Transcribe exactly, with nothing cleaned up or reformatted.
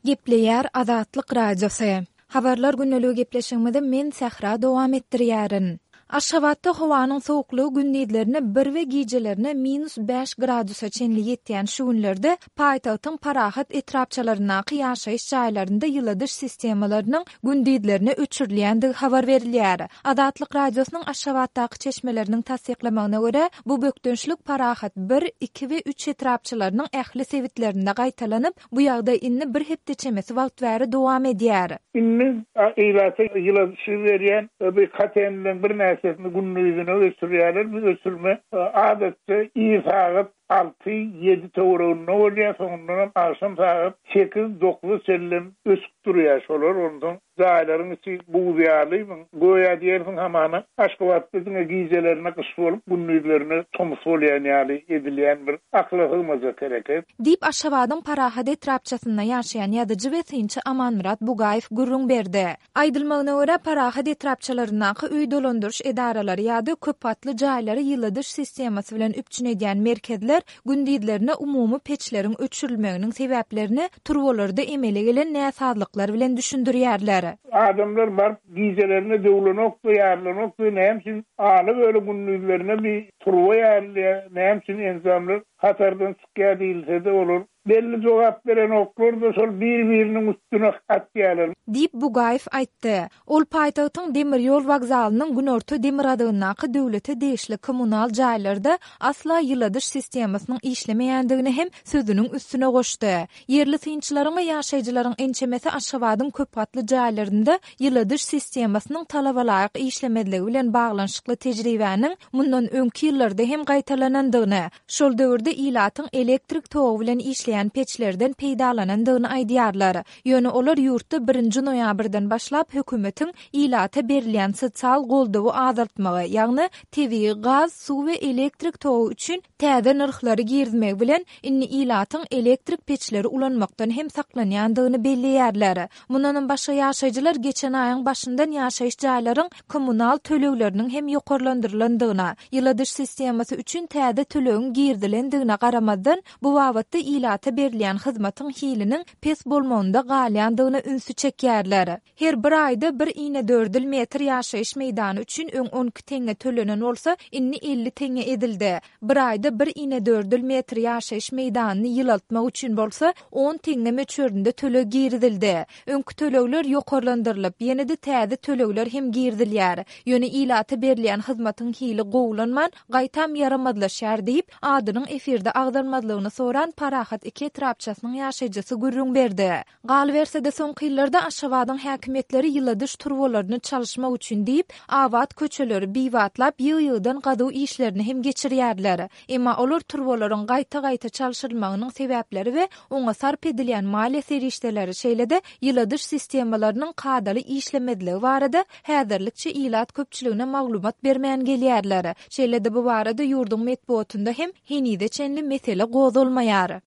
Gepleýär Azatlyk Radiosy. Habarlar gündeligi gepleşigimizi men Sähra dowam etdirýärin. Aşgabatda howanyň sowuklygy gündizlerine bir we gijelerine minus bäş gradusa çenli ýetýän şu günlerde paýtagtyň Parahat etrapçalaryndaky ýaşaýyş jaýlarynda ýyladyş sistemalarynyň gündizlerine öçürilýändigi habar berilýär. Azatlyk Radiosynyň Aşgabatdaky çeşmeleriniň tassyklamagyna görä, bu bökdençlik Parahat bir, iki we üç etrapçalarynyň ähli sebitlerinde gaýtalanyp, bu ýagdaý indi bir hepde çemesi wagt bäri dowam edýär. Indi ilata ýyladyşy berýän bir kotelniň birnäçesini gündizine öçürýärler. Bu öçürme adatça ir sagat alty, ýedi töwereginde bolýar, soňundan agşam sagat sekiz, dokuz çenli öçüp durýar şolar. Ondan jaýlaryň içi buz ýaly, göýä diýersiň hamana Aşgabatda diňe gijelerine gyş bolup, gündizlerine tomus bolýan ýaly edilýän bir akyla sygmajak hereket. Diýip Aşgabadyň Parahat etrapçasynda ýaşaýan ýazyjy we synçy Amanmyrat Bugaýew gürrüň berdi. Aýdylmagyna görä, Parahat etrapçalaryndaky öý dolandyryş edaralary ýa-da köp gatly jaýlary ýyladyş sistemasy bilen üpjün edýän merkezler gündizlerine umumy peçleriň öçürilmeginiň sebäplerini turbalarda emele gelen näsazlyklar bilen düşündirýärler. Adamlar baryp gijelerine döwlenok, ýarlanok, näme üçin aly böyle gündizlerine bir turba ýarylýar, näme üçin enjamlar hatardan çykýar diýilse-de olar belli jogap beren oklar da şol bir-biriniň üstüne atýarlar. Diýip Bugaýew aýtdy. Ol paýtagtyň demir ýol wokzalynyň günorta demirgazygyndaky döwlete degişli kommunal jaýlarda asla ýyladyş sistemasynyň işlemeýändigini hem sözüniň üstüne goşdy. Ýerli synçylaryň we ýaşaýjylaryň ençemesi Aşgabadyň köp gatly jaýlarynda ýyladyş sistemasynyň talabalaýyk işlemezligi bilen baglanyşykly tejribäniň mundan öňki ýyllarda hem gaýtalanandygyny, şol döwürde ilatyň elektrik togy bilen işleýän peçlerden peýdalanandygyny aýdýarlar. Ýöne olar ýurtda birinji noýabrdan başlap hökümetiň ilata berilýän sosial goldawy azaltmagy, ýagny tebigy gaz, suw we elektrik togy üçin täze nyrhlary girizmegi bilen indi ilatyň elektrik peçleri ulanmakdan hem saklanýandygyny belleýärler. Mundan başga ýaşaýjylar geçen aýyň başyndan ýaşaýyş jaýlaryň kommunal tölegleriniň hem ýokarlandyrylandygyna, ýyladyş sistemasy üçin täze tölegiň girizilendigine garamazdan bu babatda ilata berilýän hyzmatyň hiliniň pes bolmagynda galýandygyna ünsi çekýärler. Her bir aýda bir inedördül metr ýaşaýyş meýdany üçin öň on iki teňňe tölenen bolsa, indi elli teňňe edildi. Bir aýda bir inedördül metr ýaşaýyş meýdanyny ýylaltmak üçin bolsa on teňňe möçberinde töleg girizildi. Öňki tölegler ýokarlandyrylyp, ýene-de täze tölegler hem girizilýär. Ýöne ilata berilýän hyzmatyň hili gowulanman, gaýtam ýaramazlaşýar diýip, adynyň efirde agzalmazlygyny soran Parahat iki etrapçasynyň ýaşaýjysy gürrüň berdi. Galyberse-de soňky ýyllarda Aşgabadyň häkimiýetleri ýyladyş turbalaryny çalyşmak üçin diýip, abat köçeleri bibatlap ýygy-ýygydan gazuw işlerini hem geçirýärler. Emma olar turbalaryň gaýta-gaýta çalşyrylmagynyň sebäpleri we oňa sarp edilýän maliýe serişdeleri, şeýle-de ýyladyş sistemalarynyň kadaly işlemezligi barada häzirlikçe ilat köpçüligine maglumat bermän gelýärler. Şeýle-de bu barada ýurduň metbugatynda hem henize çenli mesele gozgalmaýar.